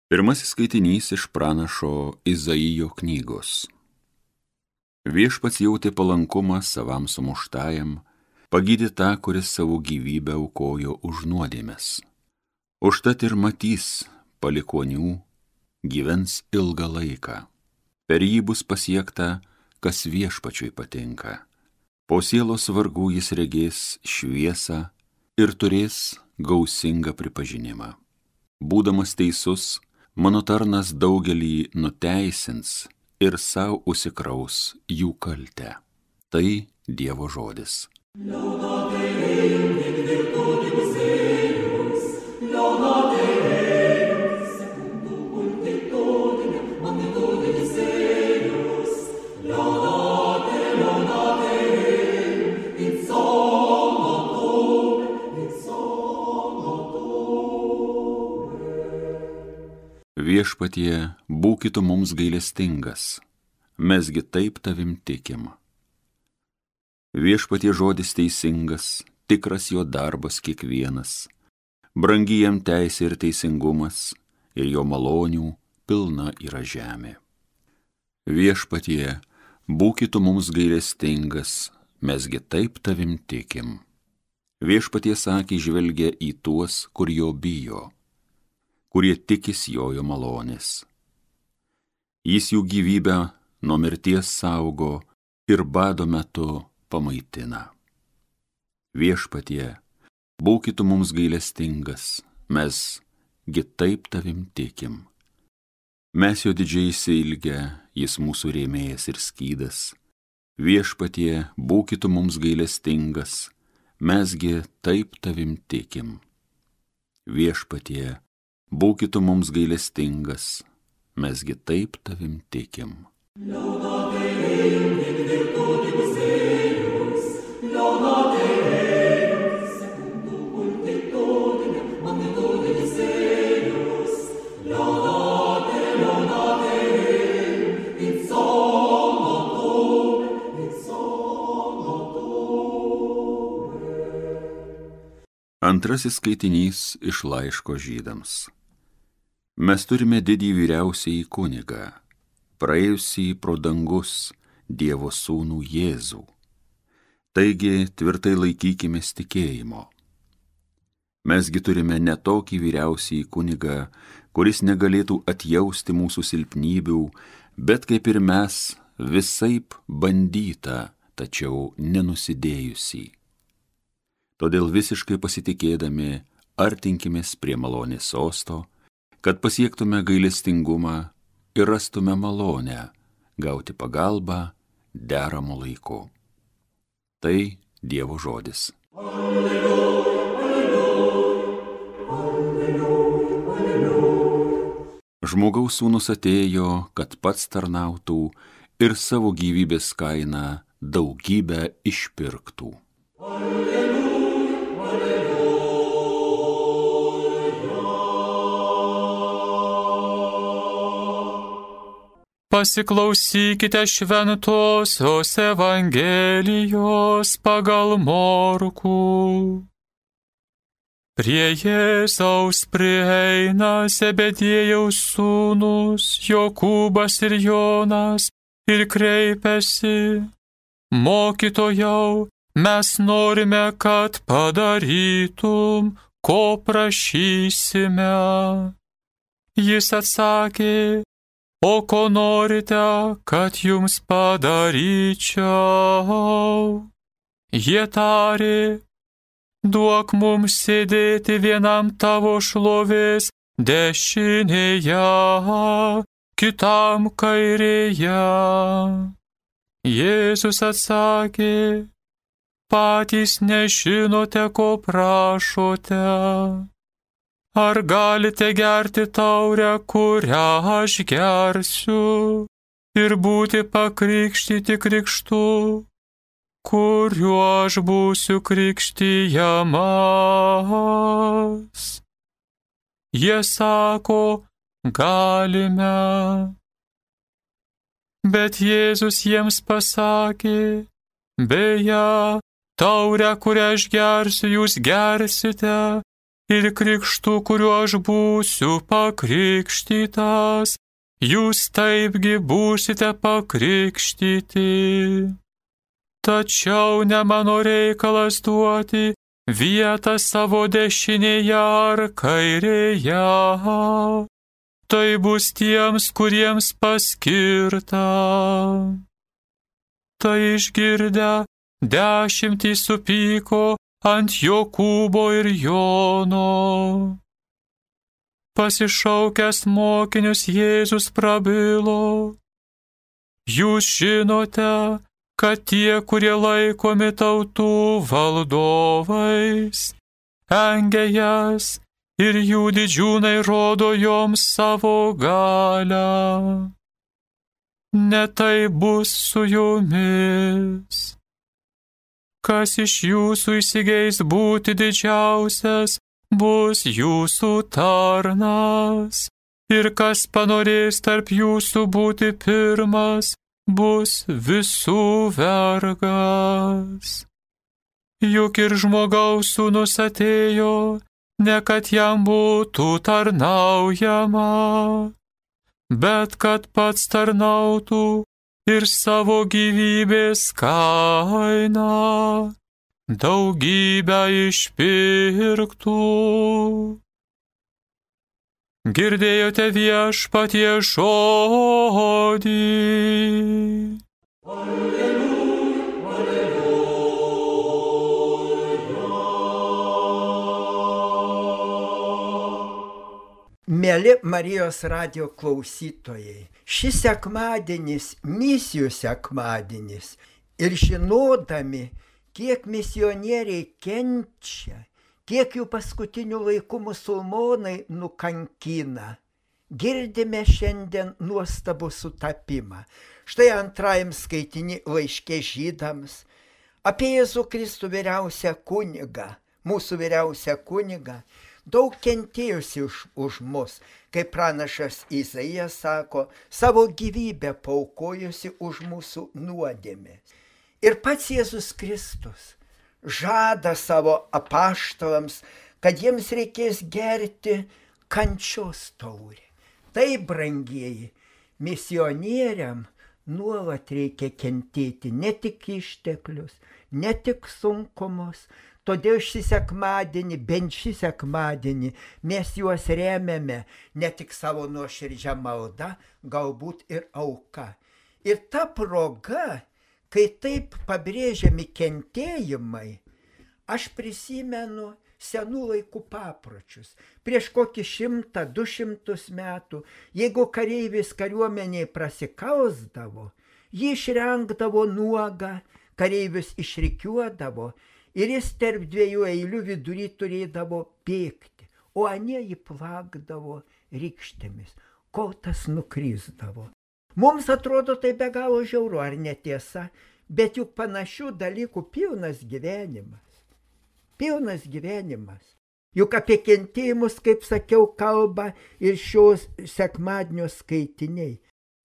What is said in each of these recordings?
Pirmasis skaitinys iš pranašo Izaijo knygos. Viešpats jautė palankumą savam sumuštajam, pagydė tą, kuris savo gyvybę aukojo už nuodėmes. Užtat ir matys palikuonių, gyvens ilgą laiką. Per jį bus pasiekta, kas Viešpačiui patinka. Po sielos vargų jis regės šviesą ir turės gausingą pripažinimą. Būdamas teisus, mano tarnas daugelį nuteisins ir sau užsikraus jų kaltę. Tai Dievo žodis. Viešpatie, būkit mums gailestingas, mesgi taip tavim tikim. Viešpatie žodis teisingas, tikras jo darbas kiekvienas, brangi jam teisė ir teisingumas, ir jo malonių pilna yra žemė. Viešpatie, būkit mums gailestingas, mesgi taip tavim tikim. Viešpatie akį žvelgia į tuos, kur jo bijo, kurie tikis jo malonės. Jis jų gyvybę nuo mirties saugo ir bado metu pamaitina. Viešpatie, būkit mums gailestingas, mesgi taip tavim tikim. Mes jo didžiai išsiilgę, jis mūsų rėmėjas ir skydas. Viešpatie, būkit mums gailestingas, mesgi taip tavim tikim. Viešpatie, būkit mums gailestingas, mesgi taip tavim tikim. Antrasis skaitinys iš laiško Žydams. Mes turime didį vyriausiąjį kunigą, praėjusį pro dangus Dievo sūnų Jėzų. Taigi tvirtai laikykimės tikėjimo. Mesgi turime ne tokį vyriausiąjį kunigą, kuris negalėtų atjausti mūsų silpnybių, bet kaip ir mes visaip bandyta, tačiau nenusidėjusį. Todėl visiškai pasitikėdami artinkimės prie malonės sosto, kad pasiektume gailestingumą ir rastume malonę, gauti pagalbą deramu laiku. Tai Dievo žodis. Alleluja, alleluja, alleluja. Žmogaus sūnus atėjo, kad pats tarnautų ir savo gyvybės kainą daugybę išpirktų. Pasiklausykite šventosios Evangelijos pagal Morkų. Prie Jėzaus prieina Zebediejaus sūnūs Jokūbas ir Jonas ir kreipiasi: Mokytojau, mes norime, kad padarytum, ko prašysime. Jis atsakė: O ko norite, kad jums padaryčiau? Jie tarė: Duok mums sėdėti vienam tavo šlovės dešinėje, kitam kairėje. Jėzus atsakė: Patys nežinote, ko prašote. Ar galite gerti taurę, kurią aš gersiu, ir būti pakrikštyti krikštu, kuriuo aš būsiu krikštijamas? Jie sako: galime. Bet Jėzus jiems pasakė: Beje, taurę, kurią aš gersiu, jūs gersite, ir krikštu, kuriuo aš būsiu pakrikštytas, jūs taipgi būsite pakrikštyti. Tačiau ne mano reikalas duoti vietą savo dešinėje ar kairėje. Tai bus tiems, kuriems paskirta. Tai išgirdę 10 supyko ant Jokūbo ir Jono. Pasišaukęs mokinius Jėzus prabilo: jūs žinote, kad tie, kurie laikomi tautų valdovais, engia jas ir jų didžiūnai rodo joms savo galią. Ne tai bus su jumis. Kas iš jūsų įsigeis būti didžiausias, bus jūsų tarnas, ir kas panorės tarp jūsų būti pirmas, bus visų vergas. Juk ir žmogaus sūnus atėjo, ne kad jam būtų tarnaujama, bet kad pats tarnautų ir savo gyvybės kainą daugybę išpirktų. Girdėjote viešpatie žodį. Mėly Marijos radijo klausytojai, šis sekmadienis misijų sekmadienis ir žinodami, kiek misionieriai kenčia, kiek jų paskutinių laikų musulmonai nukankina, girdime šiandien nuostabų sutapimą. Štai antrajam skaitiny laiške žydams apie Jėzų Kristų vyriausią kunigą, mūsų vyriausią kunigą, daug kentėjusi už mus, kaip pranašas Izaijas sako, savo gyvybę paaukojusi už mūsų nuodėmes. Ir pats Jėzus Kristus žada savo apaštalams, kad jiems reikės gerti kančios taurę. Tai, brangieji, misionieriam nuolat reikia kentėti ne tik išteklius, ne tik sunkumus. Todėl šį sekmadienį, bent šį sekmadienį, mes juos remiame ne tik savo nuoširdžią maldą, galbūt ir auka. Ir ta proga, kai taip pabrėžiami kentėjimai, aš prisimenu senų laikų papročius. Prieš kokį 100-200 metų, jeigu kareivis kariuomeniai prasikausdavo, jį išrengdavo nuogą, kareivius išrikiuodavo, ir jis tarp 2 eilių vidury turėdavo bėgti, o anie jį plakdavo rykštėmis, kol tas nukrisdavo. Mums atrodo tai be galo žiauru, ar netiesa, bet juk panašių dalykų pilnas gyvenimas. Pilnas gyvenimas. Juk apie kentėjimus, kaip sakiau, kalba ir šios sekmadienio skaitiniai.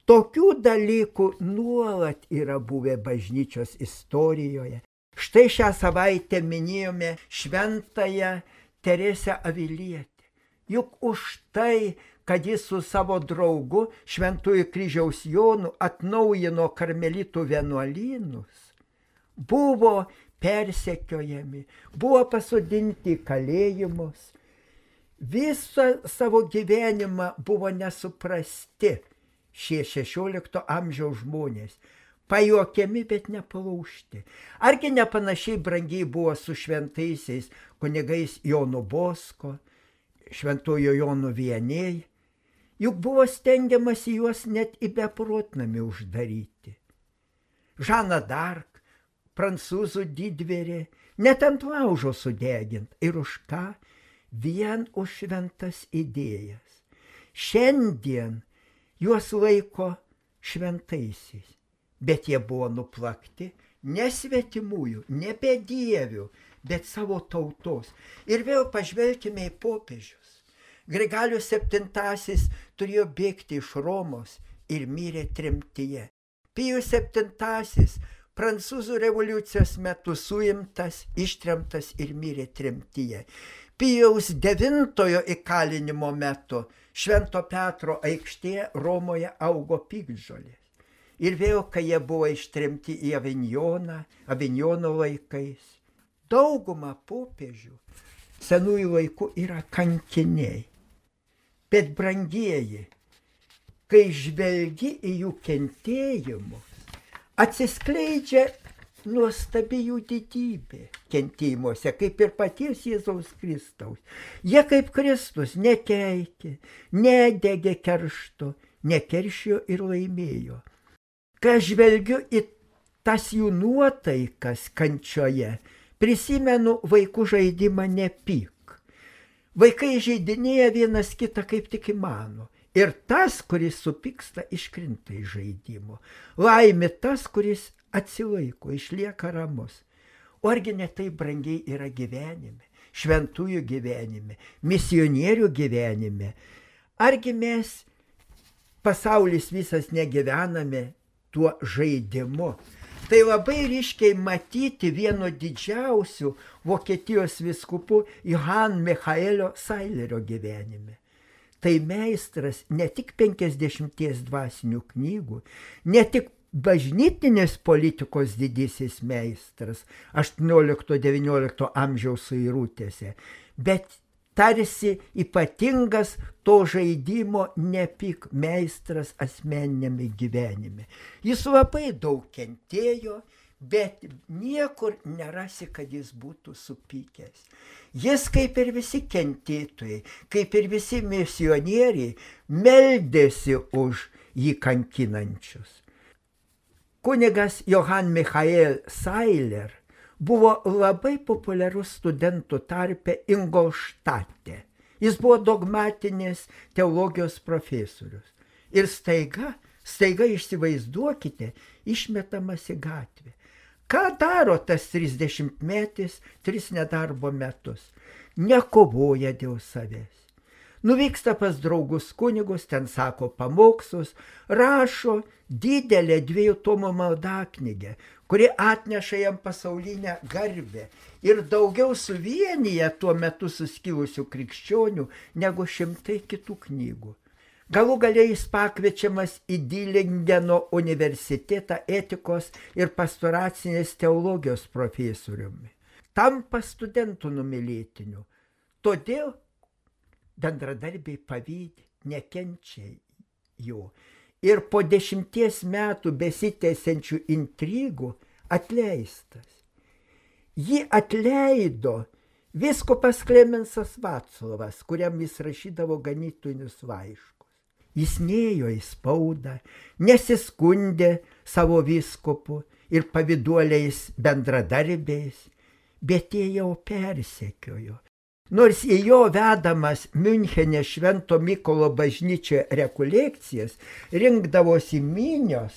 Tokių dalykų nuolat yra buvę bažnyčios istorijoje. Štai šią savaitę minėjome šventąją Teresę Avilietę. Juk už tai, kad jis su savo draugu Šventųjų Kryžiaus Jonu atnaujino karmelitų vienuolynus, buvo persekiojami, buvo pasodinti į kalėjimus. Visą savo gyvenimą buvo nesuprasti šie 16 amžiaus žmonės. Pajuokiami, bet nepalaužti. Argi nepanašiai brangiai buvo su šventaisiais kunigais Jonu Bosko, Šventojo Jono Vianney? Juk buvo stengiamasi juos net į beprotnamį uždaryti. Žana d'Arc, prancūzų didvyrė, net ant laužo sudegint. Ir už ką? Vien už šventas idėjas. Šiandien juos laiko šventaisiais. Bet jie buvo nuplakti ne svetimųjų, ne bedievių, bet savo tautos. Ir vėl pažvelkime į popiežius. Grigalius VII turėjo bėgti iš Romos ir mirė tremtyje. Pijus VII prancūzų revoliucijos metu suimtas, ištremtas ir mirė tremtyje. Pijaus IX įkalinimo metu Švento Petro aikštėje Romoje augo piktžolės. Ir vėl, kai jie buvo ištremti į Avinjono laikais, dauguma popiežių senųjų laikų yra kankiniai. Bet brangieji, kai žvelgi į jų kentėjimus, atsiskleidžia nuostabi jų didybė kentėjimuose, kaip ir paties Jėzaus Kristaus. Jie kaip Kristus nekeikė, nedegė keršto, nekeršijo ir laimėjo. Kai aš žvelgiu į tas jų nuotaikas kančioje, prisimenu vaikų žaidimą nepyk. Vaikai žaidinėja vienas kitą kaip tik įmano. Ir tas, kuris supyksta, iškrinta iš žaidimo. Laimė tas, kuris atsilaiko, išlieka ramus. O argi ne taip brangiai yra gyvenime, šventųjų gyvenime, misionierių gyvenime? Argi mes, pasaulis visas, negyvename tuo žaidimu? Tai labai ryškiai matyti vieno didžiausių Vokietijos vyskupų Johann Michaelio Sailerio gyvenime. Tai meistras ne tik 50 dvasinių knygų, ne tik bažnytinės politikos didysis meistras 18-19 amžiaus suirutėse, bet tarsi ypatingas to žaidimo nepyk meistras asmeniniame gyvenime. Jis labai daug kentėjo, bet niekur nerasi, kad jis būtų supykęs. Jis, kaip ir visi kentėtojai, kaip ir visi misionieriai, meldėsi už jį kankinančius. Kunigas Johann Michael Sailer buvo labai populiarus studentų tarpe Ingolštate. Jis buvo dogmatinės teologijos profesorius. Ir staiga įsivaizduokite, išmetamas į gatvę. Ką daro tas 30-metis 3 nedarbo metus? Nekovoja dėl savęs. Nuvyksta pas draugus kunigus, ten sako pamokslus, rašo didelę 2 tomų maldaknygę, kuri atneša jam pasaulinę garbę ir daugiau suvienyje tuo metu suskilusių krikščionių negu 100 kitų knygų. Galų gale jis pakviečiamas į Dilingeno universitetą etikos ir pastoracinės teologijos profesoriumi. Tampa studentų numylėtiniu. Todėl bendradarbiai pavydi, nekenčia jo. Ir po 10 metų besitęsiančių intrigų atleistas. Jį atleido vyskupas Klemensas Vaclovas, kuriam jis rašydavo ganytojinius laiškus. Jis nėjo į spaudą, nesiskundė savo vyskupu ir pavyduoliais bendradarbiais, bet jie jau persekiojo. Nors į jo vedamas Miunchene Švento Mykolo bažnyčioje rekolekcijas rinkdavosi minios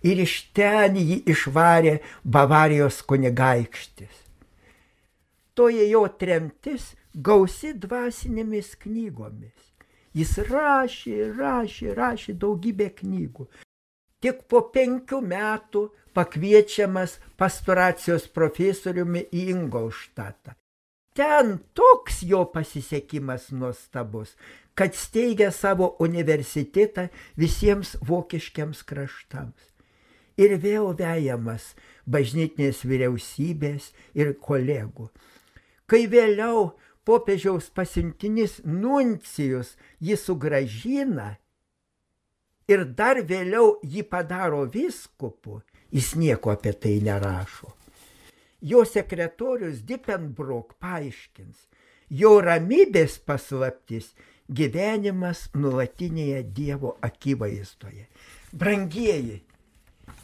ir iš ten jį išvarė Bavarijos kunigaikštis. Toji jo tremtis gausi dvasinėmis knygomis. Jis rašė daugybę knygų. Tik po 5 metų pakviečiamas pastoracijos profesoriumi į Ingolštatą. Ten toks jo pasisekimas nuostabus, kad steigia savo universitetą visiems vokiškiams kraštams. Ir vėl vejamas bažnytinės vyriausybės ir kolegų. Kai vėliau popiežiaus pasiuntinys Nuncijus jį sugrąžina ir dar vėliau jį padaro vyskupu, jis nieko apie tai nerašo. Jo sekretorius Dippenbrook paaiškins, jo ramybės paslaptis gyvenimas nuolatinėje Dievo akivaizdoje. Brangieji,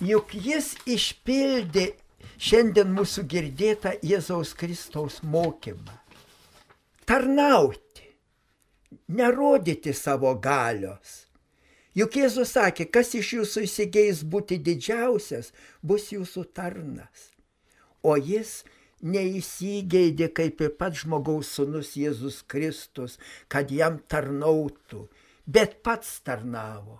juk jis išpildė šiandien mūsų girdėtą Jėzaus Kristaus mokymą. Tarnauti, nerodyti savo galios. Juk Jėzus sakė, kas iš jūsų įsigeis būti didžiausias, bus jūsų tarnas. O jis neįsigeidė kaip ir pats žmogaus sūnus Jėzus Kristus, kad jam tarnautų, bet pats tarnavo.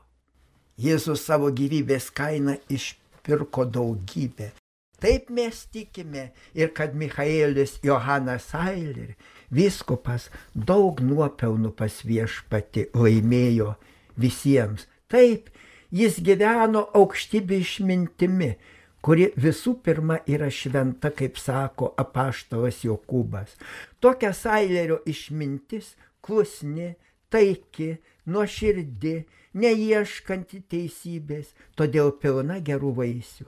Jėzus savo gyvybės kainą išpirko daugybę. Taip mes tikime ir kad Michaelis Johannas Sailer vyskupas daug nuopelnų pas Viešpatį laimėjo visiems. Taip, jis gyveno aukštybių išmintimi, kuri visų pirma yra šventa, kaip sako apaštalas Jokūbas. Tokia Sailerio išmintis klusni, taiki, nuoširdi, neieškanti teisybės, todėl pilna gerų vaisių.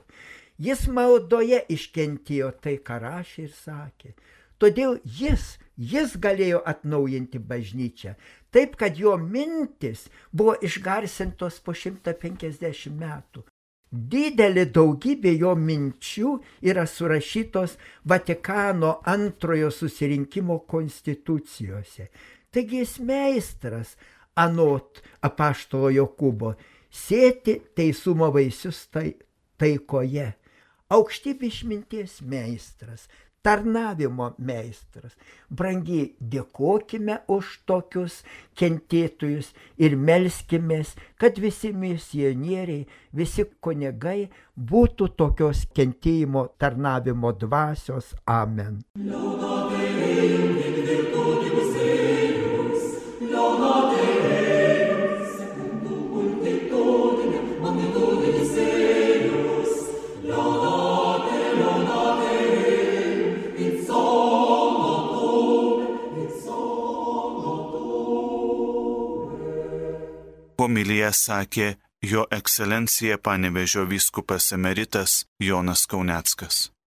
Jis maldoje iškentėjo tai, ką rašė ir sakė. Todėl jis galėjo atnaujinti bažnyčią, taip, kad jo mintis buvo išgarsintos po 150 metų. Didelė daugybė jo minčių yra surašytos Vatikano antrojo susirinkimo konstitucijose. Taigi jis meistras, anot apaštalo Jokūbo, sėti teisumo vaisius taikoje. Aukštybių išminties meistras, tarnavimo meistras. Brangiai, dėkokime už tokius kentėtojus ir melskimės, kad visi misionieriai, visi kunigai būtų tokios kentėjimo tarnavimo dvasios. Amen. Homiliją sakė jo ekscelencija Panevėžio vyskupas emeritas Jonas Kauneckas.